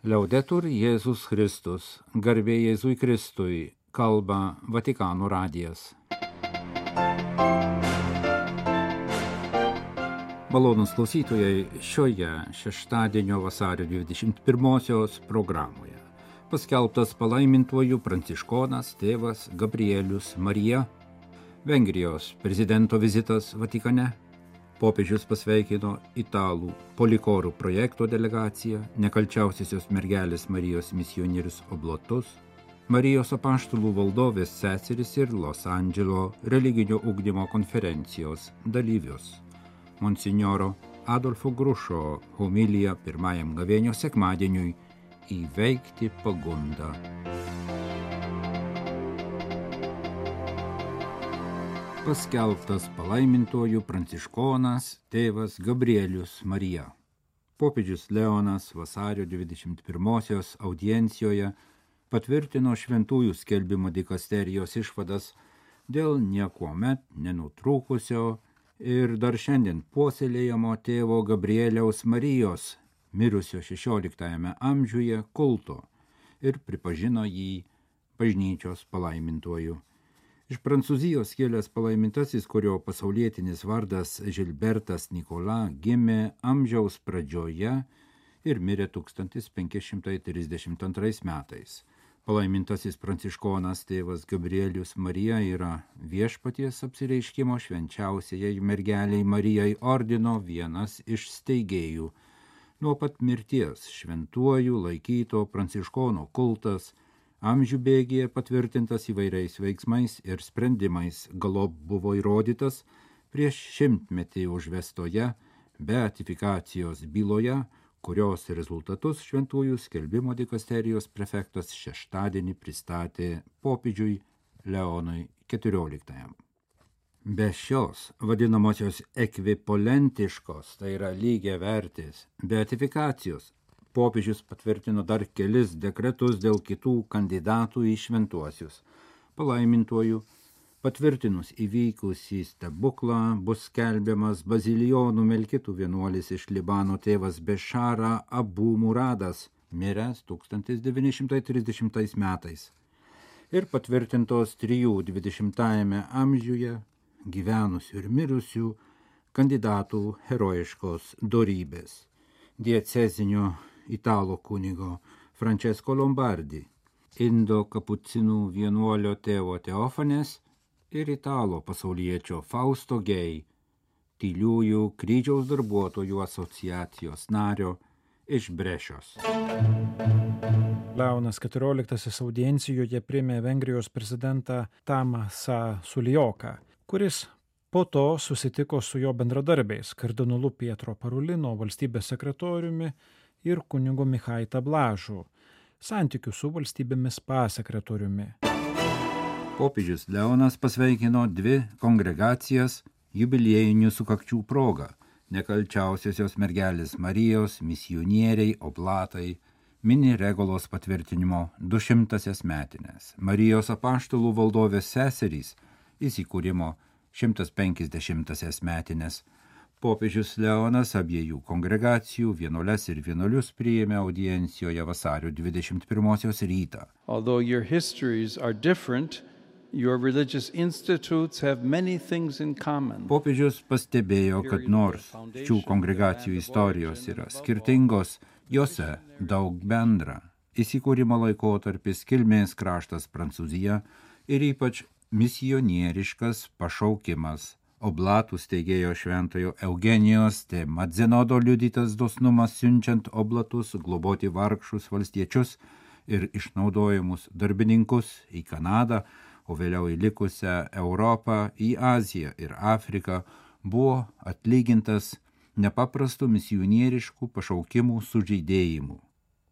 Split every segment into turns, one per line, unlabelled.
Liaudetur Jėzus Kristus, garbė Jėzui Kristui, kalba Vatikano radijas. Malonūs klausytojai, šioje šeštadienio vasario 21-osios programoje paskelbtas palaimintuoju pranciškonas tėvas Gabrielius Marija, Vengrijos prezidento vizitas Vatikane, popiežius pasveikino italų polikorų projekto delegaciją, nekalčiausiosios mergelės Marijos misionierius oblatus, Marijos apaštalų valdovės seseris ir Los Andželo religinio ugdymo konferencijos dalyvius. Monsinjoro Adolfo Grušo homilija pirmajam gavėnios sekmadieniui įveikti pagundą. Paskelbtas palaimintuoju pranciškonas tėvas Gabrielius Marija. Popiežius Leonas vasario 21-osios audiencijoje patvirtino šventųjų skelbimo dikasterijos išvadas dėl niekuomet nenutrūkusio ir dar šiandien puoselėjamo tėvo Gabrieliaus Marijos, mirusio 16 amžiuje, kulto ir pripažino jį bažnyčios palaimintuoju. Iš Prancūzijos kilęs palaimintasis, kurio pasaulietinis vardas Žilbertas Nikola, gimė amžiaus pradžioje ir mirė 1532 metais. Palaimintasis pranciškonas tėvas Gabrielius Marija yra Viešpaties apsireiškimo švenčiausiajai mergeliai Marijai ordino vienas iš steigėjų. Nuo pat mirties šventuoju laikyto pranciškono kultas amžių bėgyje patvirtintas įvairiais veiksmais ir sprendimais, galop buvo įrodytas prieš 100-metį užvestoje beatifikacijos byloje, kurios rezultatus šventųjų skelbimo dikasterijos prefektas šeštadienį pristatė popiežiui Leonui XIV. Be šios vadinamosios ekvipolentiškos, tai yra lygiavertės beatifikacijos, popiežius patvirtino dar kelis dekretus dėl kitų kandidatų į šventuosius. Palaimintuoju patvirtinus įvykusį stebuklą bus skelbiamas bazilijonų melkitų vienuolis iš Libano tėvas Bešara Abu Muradas, miręs 1930 metais. Ir patvirtintos 20 amžiuje gyvenusių ir mirusių kandidatų herojiškos dorybės. Diecezinio italo kunigo Francesco Lombardi, indo kapucinų vienuolio tėvo Teofanės ir italo pasauliečio Fausto Gei, tyliųjų kryžiaus darbuotojų asociacijos nario iš Brešios.
Leonas XIV audiencijoje priėmė Vengrijos prezidentą Tamasą Sulioką, kuris po to susitiko su jo bendradarbiais kardinolu Pietro Parulino, valstybės sekretoriumi ir kunigu Michai Tablažu, santykių su valstybėmis pasekretoriumi.
Popiežius Leonas pasveikino 2 kongregacijas jubiliejinių sukakčių proga – nekalčiausiosios mergelės Marijos misionieriai oblatai mini Regulos patvirtinimo 200-asias metines, Marijos apaštalų valdovės seserys įsikūrimo 150-asias metines. Popiežius Leonas abiejų kongregacijų vienuoles ir vienuolius priėmė audiencijoje vasario 21-osios rytą.
Although your histories are different, your religious institutes have many things in common.
Popiežius pastebėjo, kad nors šių kongregacijų istorijos yra skirtingos, jose daug bendra. Įsikūrimo laikotarpis, kilmės kraštas Prancūzija ir ypač misionieriškas pašaukimas. Oblatų steigėjo šventojo Eugenijos de Madzenodo liudytas dosnumas siunčiant oblatus globoti vargšus valstiečius ir išnaudojimus darbininkus į Kanadą, o vėliau į likusią Europą, į Aziją ir Afriką, buvo atlygintas nepaprastų misionieriškų pašaukimų sužeidėjimų.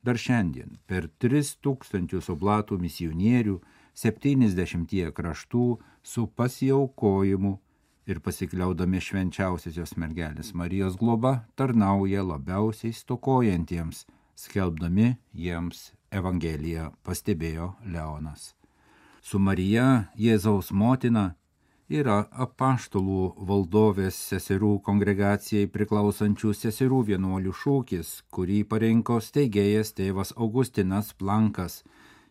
Dar šiandien per 3000 oblatų misionierių 70 kraštų su pasiaukojimu ir pasikliaudami švenčiausiosios mergelės Marijos globa tarnauja labiausiai stokojantiems, skelbdami jiems Evangeliją, pastebėjo Leonas. Su Marija, Jėzaus motina, yra apaštalų valdovės seserų kongregacijai priklausančių seserų vienuolių šūkis, kurį parinko steigėjas tėvas Augustinas Plankas.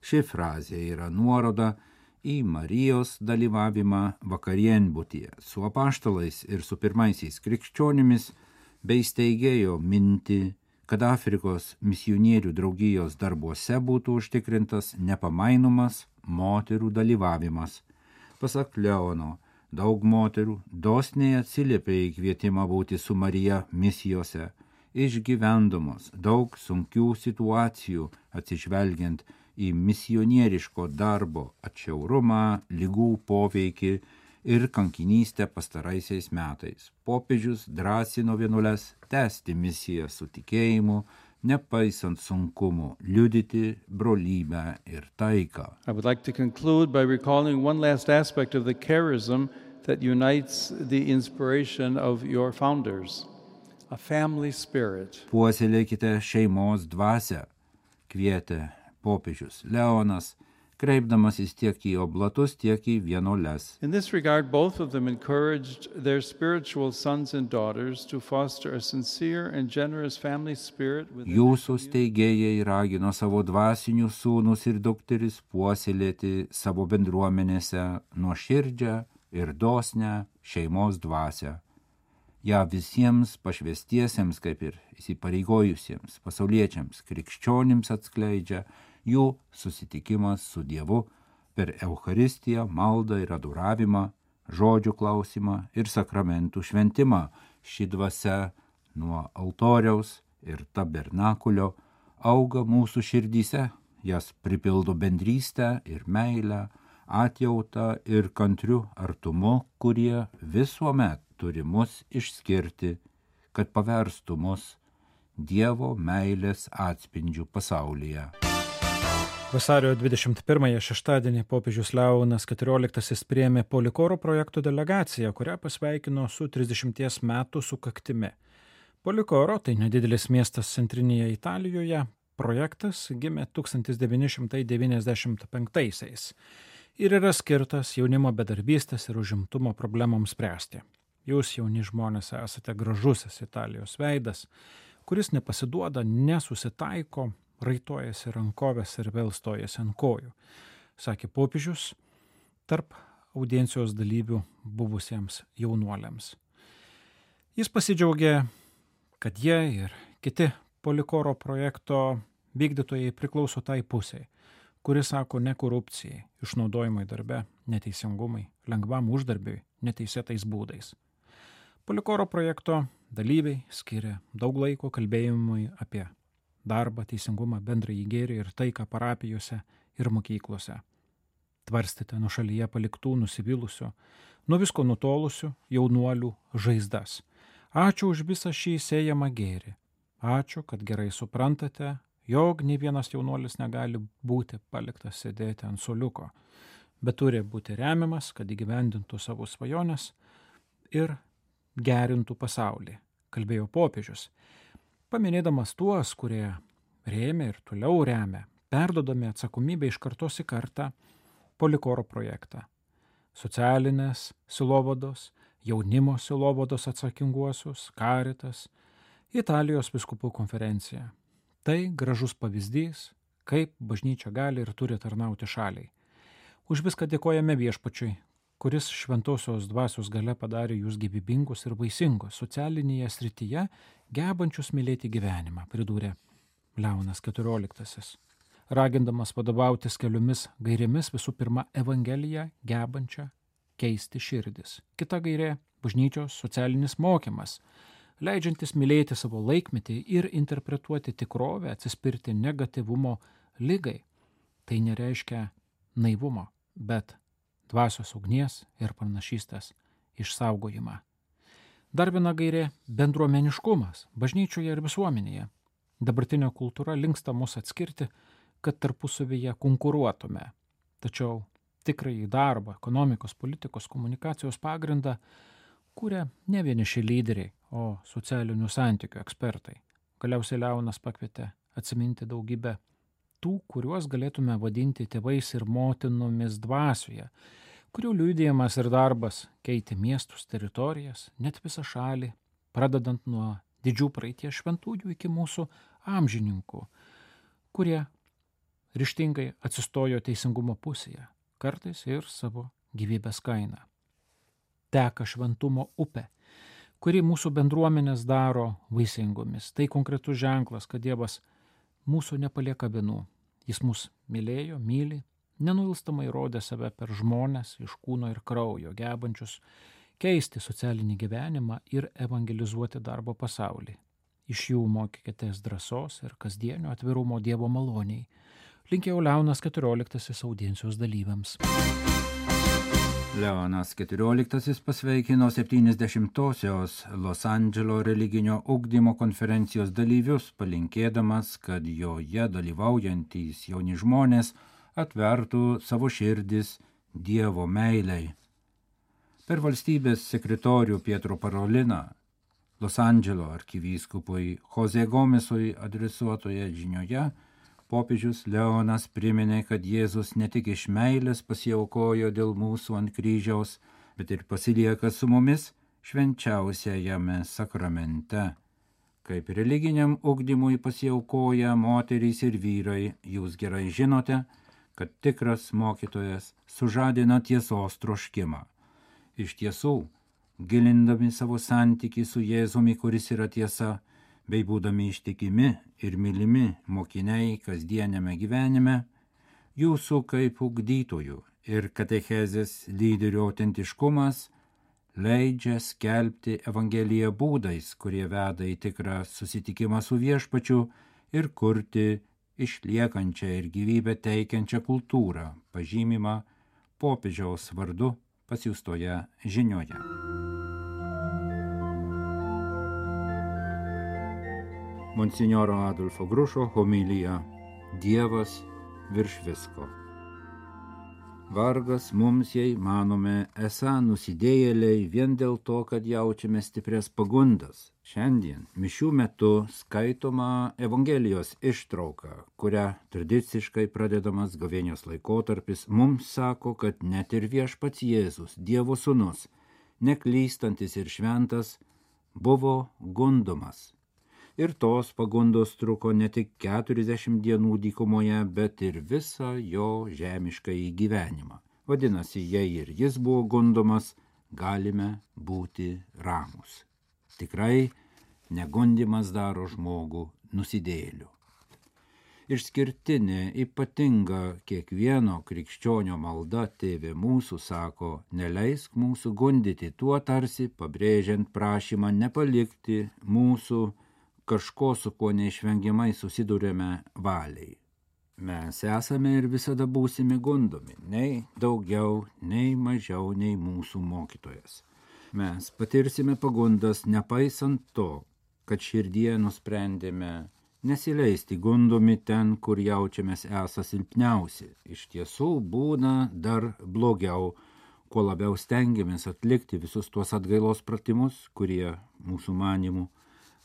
Ši frazė yra nuoroda į Marijos dalyvavimą vakarienbutyje su apaštalais ir su pirmaisiais krikščionimis, bei steigėjo mintį, kad Afrikos misionierių draugijos darbuose būtų užtikrintas nepamainomas moterų dalyvavimas. Pasak Leono, daug moterų dosniai atsiliepė į kvietimą būti su Marija misijose, išgyvendamos daug sunkių situacijų atsižvelgiant į misionieriško darbo atšiaurumą, ligų poveikį ir kankinystę pastaraisiais metais. Popiežius drąsino vienuoles tęsti misiją su tikėjimu, nepaisant sunkumų, liudyti brolybę ir taiką.
I would like to conclude by recalling one last aspect of the charism that unites the inspiration of your founders, a family spirit.
Puoselėkite šeimos dvasią, kvietė popiežius Leonas, kreipdamasis tiek į oblatus, tiek į vienuoles.
In this regard, both of them encouraged their spiritual sons and daughters to foster a sincere and generous family spirit.
Jūsų steigėjai ragino savo dvasinius sūnus ir dukteris puoselėti savo bendruomenėse nuoširdžią ir dosnią šeimos dvasią. Ja visiems pašvestiesiems, kaip ir įsipareigojusiems pasauliečiams krikščionims atskleidžia jų susitikimas su Dievu per Eucharistiją, maldą ir adoravimą, žodžių klausimą ir sakramentų šventimą. Ši dvasia nuo altoriaus ir tabernakulio auga mūsų širdyse, jas pripildo bendrystę ir meilę, atjautą ir kantriu artumu, kurie visuomet turi mus išskirti, kad paverstų mus Dievo meilės atspindžių pasaulyje.
Vasario 21 šeštadienį popiežius Leonas XIV priėmė Polikoro projekto delegaciją, kurią pasveikino su 30 metų sukaktimi. Polikoro, tai nedidelis miestas centrinėje Italijoje, projektas gimė 1995 ir yra skirtas jaunimo bedarbystės ir užimtumo problemoms spręsti. Jūs, jauni žmonės, esate gražusis Italijos veidas, kuris nepasiduoda, nesusitaiko, raitojasi rankovės ir vėl stojasi ant kojų, sakė popiežius tarp audiencijos dalyvių buvusiems jaunuoliams. Jis pasidžiaugė, kad jie ir kiti Polikoro projekto vykdytojai priklauso tai pusiai, kuris sako ne korupcijai, išnaudojimai darbe, neteisingumai, lengvam uždarbiui, neteisėtais būdais. Polikoro projekto dalyviai skiria daug laiko kalbėjimui apie darbą, teisingumą, bendrąjį gėrį ir taiką parapijose ir mokyklose. Tvarstėte nuošalyje paliktų, nusivylusių, nuo visko nutolusių jaunuolių žaizdas. Ačiū už visą šį sėjamą gėrį. Ačiū, kad gerai suprantate, jog nei vienas jaunuolis negali būti paliktas sėdėti ant suoliuko, bet turi būti remiamas, kad įgyvendintų savo svajones ir gerintų pasaulį, kalbėjo popiežius, paminėdamas tuos, kurie rėmė ir toliau remia, perdodami atsakomybę iš kartos į kartą Polikoro projektą. Socialinės silovados, jaunimo silovados atsakinguosius, Caritas, Italijos vyskupų konferencija. Tai gražus pavyzdys, kaip bažnyčia gali ir turi tarnauti šaliai. Už viską dėkojame Viešpačiui, kuris šventosios dvasios galia padarė jūs gyvybingus ir vaisingus socialinėje srityje, gebančius mylėti gyvenimą, pridūrė Leonas XIV, ragindamas vadovautis keliomis gairėmis, visų pirma Evangeliją gebančią keisti širdis. Kita gairė – bažnyčios socialinis mokymas, leidžiantis mylėti savo laikmetį ir interpretuoti tikrovę, atsispirti negatyvumo ligai. Tai nereiškia naivumo, bet dvasios ugnies ir pranašystės išsaugojimą. Dar viena gairė – bendruomeniškumas bažnyčioje ir visuomenėje. Dabartinė kultūra linksta mus atskirti, kad tarpusavyje konkuruotume. Tačiau tikrąjį darbą, ekonomikos, politikos, komunikacijos pagrindą kūrė ne vieniši lyderiai, o socialinių santykių ekspertai. Galiausiai Leonas pakvietė atsiminti daugybę tų, kuriuos galėtume vadinti tėvais ir motinomis dvasioje, kurių liudijimas ir darbas keitė miestus, teritorijas, net visą šalį, pradedant nuo didžių praeities šventųjų iki mūsų amžininkų, kurie ryžtingai atsistojo teisingumo pusėje, kartais ir savo gyvybės kainą. Teka šventumo upė, kuri mūsų bendruomenės daro vaisingomis. Tai konkretus ženklas, kad Dievas mūsų nepalieka vienų. Jis mus mylėjo, myli, nenuilstamai rodė save per žmones iš kūno ir kraujo, gebančius keisti socialinį gyvenimą ir evangelizuoti darbo pasaulį. Iš jų mokykitės drąsos ir kasdienio atvirumo Dievo maloniai. Linkėjo Leonas XIV audiencijos dalyviams.
Leonas XIV pasveikino 70-osios Los Andželo religinio ugdymo konferencijos dalyvius, palinkėdamas, kad joje dalyvaujantys jauni žmonės atvertų savo širdis Dievo meilei. Per valstybės sekretorių Pietro Paroliną Los Andželo arkivyskupui Jose Gomesui adresuotoje žinioje popiežius Leonas priminė, kad Jėzus ne tik iš meilės pasiaukojo dėl mūsų ant kryžiaus, bet ir pasilieka su mumis švenčiausiajame sakramente. Kaip religiniam ugdymui pasiaukoja moterys ir vyrai, jūs gerai žinote, kad tikras mokytojas sužadina tiesos troškimą. Iš tiesų, gilindami savo santykį su Jėzumi, kuris yra tiesa, bei būdami ištikimi ir mylimi mokiniai kasdieniame gyvenime, jūsų kaip ugdytojų ir katechezės lyderių autentiškumas leidžia skelbti Evangeliją būdais, kurie veda į tikrą susitikimą su Viešpačiu ir kurti išliekančią ir gyvybę teikiančią kultūrą, pažymimą popiežiaus vardu pasiųstoje žinioje. Monsinjoro Adolfo Grušo homilija Dievas virš visko. Vargas mums, jei manome, esą nusidėjėliai vien dėl to, kad jaučiame stiprias pagundas. Šiandien mišių metu skaitoma Evangelijos ištrauka, kuria tradiciškai pradedamas gavėnios laikotarpis, mums sako, kad net ir Viešpats Jėzus, Dievo sūnus, neklystantis ir šventas, buvo gundomas. Ir tos pagundos truko ne tik 40 dienų dykumoje, bet ir visą jo žemiškąjį gyvenimą. Vadinasi, jei ir jis buvo gundomas, galime būti ramūs. Tikrai negundimas daro žmogų nusidėjėliu. Išskirtinė, ypatinga kiekvieno krikščionio malda Tėve mūsų sako, neleisk mūsų gundyti, tuo tarsi pabrėžiant prašymą nepalikti mūsų kažko, su kuo neišvengiamai susidurėme valiai. Mes esame ir visada būsime gundomi, nei daugiau, nei mažiau, nei mūsų mokytojas. Mes patirsime pagundas nepaisant to, kad širdie nusprendėme nesileisti gundomi ten, kur jaučiamės esą silpniausi. Iš tiesų būna dar blogiau, kuo labiau stengiamės atlikti visus tuos atgailos pratimus, kurie mūsų manimų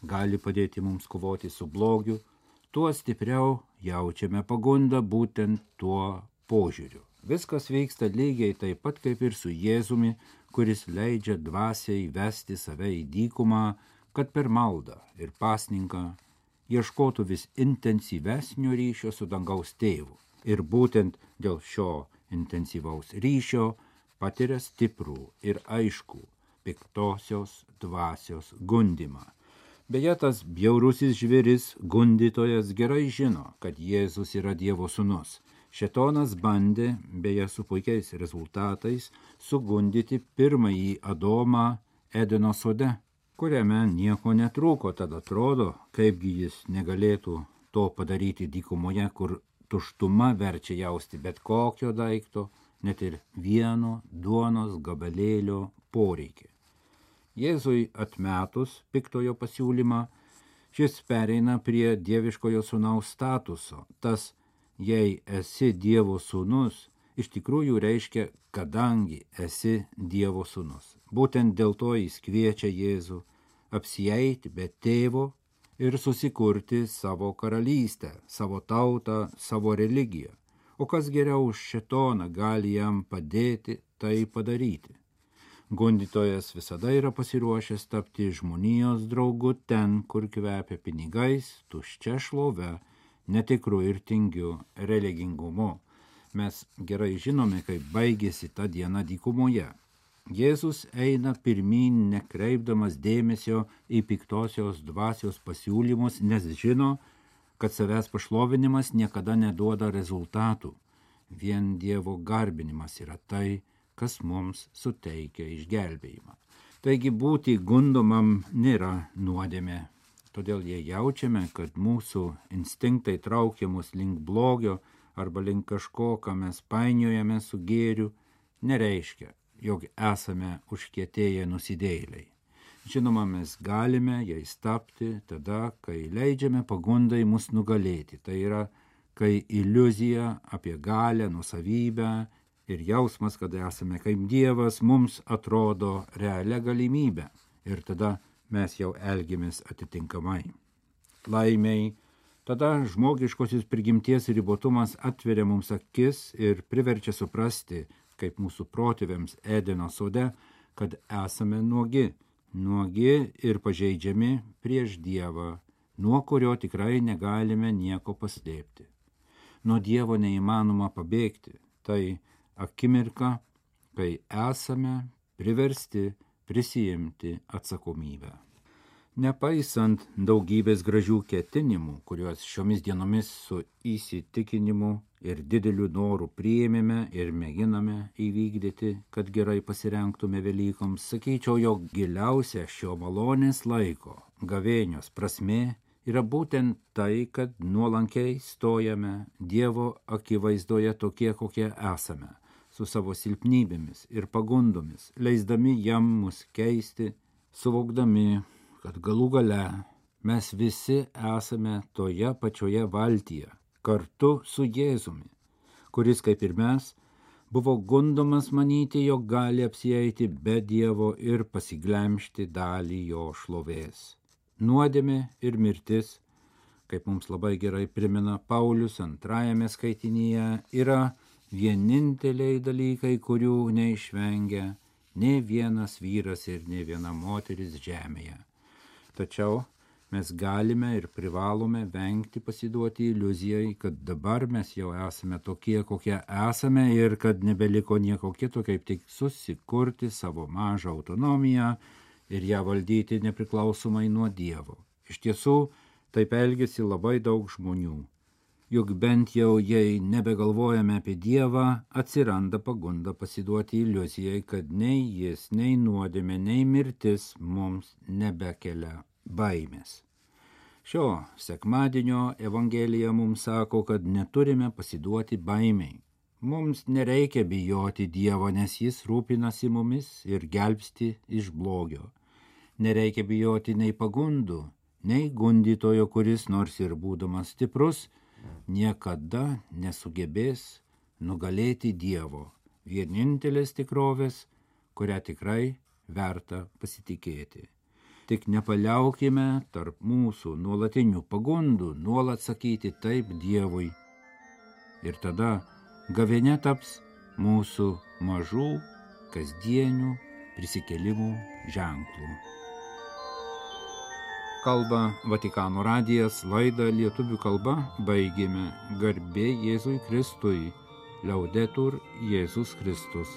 gali padėti mums kovoti su blogiu, tuo stipriau jaučiame pagundą būtent tuo požiūriu. Viskas vyksta lygiai taip pat kaip ir su Jėzumi, kuris leidžia dvasiai vesti save į dykumą, kad per maldą ir pasninką ieškotų vis intensyvesnio ryšio su dangaus tėvu. Ir būtent dėl šio intensyvaus ryšio patiria stiprų ir aiškų piktosios dvasios gundymą. Beje, tas bjaurusis žvėris, gundytojas, gerai žino, kad Jėzus yra Dievo sūnus. Šėtonas bandė, beje su puikiais rezultatais, sugundyti pirmąjį Adomą Edeno sode, kuriame nieko netrūko, tad atrodo, kaipgi jis negalėtų to padaryti dykumoje, kur tuštuma verčia jausti bet kokio daikto, net ir vieno duonos gabalėlio poreikį. Jėzui atmetus piktojo pasiūlymą, šis pereina prie dieviškojo sūnaus statuso. Tas, jei esi Dievo sūnus, iš tikrųjų reiškia, kadangi esi Dievo sūnus. Būtent dėl to jis kviečia Jėzų apsieiti be tėvo ir susikurti savo karalystę, savo tautą, savo religiją. O kas geriau už šėtoną gali jam padėti tai padaryti? Gundytojas visada yra pasiruošęs tapti žmonijos draugu ten, kur kvepia pinigais, tuščia šlove, netikru ir tingiu religingumu. Mes gerai žinome, kaip baigėsi ta diena dykumoje. Jėzus eina pirmyn, nekreipdamas dėmesio į piktosios dvasios pasiūlymus, nes žino, kad savęs pašlovinimas niekada neduoda rezultatų. Vien Dievo garbinimas yra tai, kas mums suteikia išgelbėjimą. Taigi būti gundomam nėra nuodėmė. Todėl jei jaučiame, kad mūsų instinktai traukia mus link blogio arba link kažko, ką mes painiojame su gėriu, nereiškia, jog esame užkietėję nusidėjėliai. Žinoma, mes galime jais tapti tada, kai leidžiame pagundai mus nugalėti. Tai yra, kai iliuzija apie galią, nuosavybę ir jausmas, kad esame kaip Dievas, mums atrodo realia galimybė. Ir tada mes jau elgiamės atitinkamai. Laimiai, tada žmogiškosios prigimties ribotumas atveria mums akis ir priverčia suprasti, kaip mūsų protėviams Edeno sode, kad esame nuogi ir pažeidžiami prieš Dievą, nuo kurio tikrai negalime nieko paslėpti. Nuo Dievo neįmanoma pabėgti. Tai akimirka, kai esame priversti prisijimti atsakomybę. Nepaisant daugybės gražių ketinimų, kuriuos šiomis dienomis su įsitikinimu ir dideliu noru priėmėme ir mėginame įvykdyti, kad gerai pasirengtume Velykoms, sakyčiau, jog giliausia šio malonės laiko, gavėnios prasmė yra būtent tai, kad nuolankiai stojame Dievo akivaizdoje tokie, kokie esame, su savo silpnybėmis ir pagundomis, leisdami jam mus keisti, suvokdami, kad galų gale mes visi esame toje pačioje valtyje, kartu su Jėzumi, kuris, kaip ir mes, buvo gundomas manyti, jog gali apsieiti be Dievo ir pasiglemžti dalį jo šlovės. Nuodėmė ir mirtis, kaip mums labai gerai primena Paulius 2 skaitinyje, yra vieninteliai dalykai, kurių neišvengia nei vienas vyras ir nei viena moteris žemėje. Tačiau mes galime ir privalome vengti pasiduoti iliuzijai, kad dabar mes jau esame tokie, kokie esame ir kad nebeliko nieko kito, kaip tik susikurti savo mažą autonomiją ir ją valdyti nepriklausomai nuo Dievo. Iš tiesų, taip elgiasi labai daug žmonių. Juk bent jau, jei nebegalvojame apie Dievą, atsiranda pagunda pasiduoti iliuzijai, kad nei jis, nei nuodėmė, nei mirtis mums nebekelia baimės. Šio sekmadienio Evangelija mums sako, kad neturime pasiduoti baimiai. Mums nereikia bijoti Dievo, nes jis rūpinasi mumis ir gelbsti iš blogio. Nereikia bijoti nei pagundų, nei gundytojo, kuris nors ir būdamas stiprus, niekada nesugebės nugalėti Dievo, vienintelės tikrovės, kurią tikrai verta pasitikėti. Tik nepaliaukime tarp mūsų nuolatinių pagundų nuolat sakyti taip Dievui. Ir tada gavėnia taps mūsų mažų, kasdienių prisikėlimų ženklų. Kalba Vatikano radijas, laidą lietuvių kalba baigėme. Garbė Jėzui Kristui, Liaudetur Jėzus Kristus.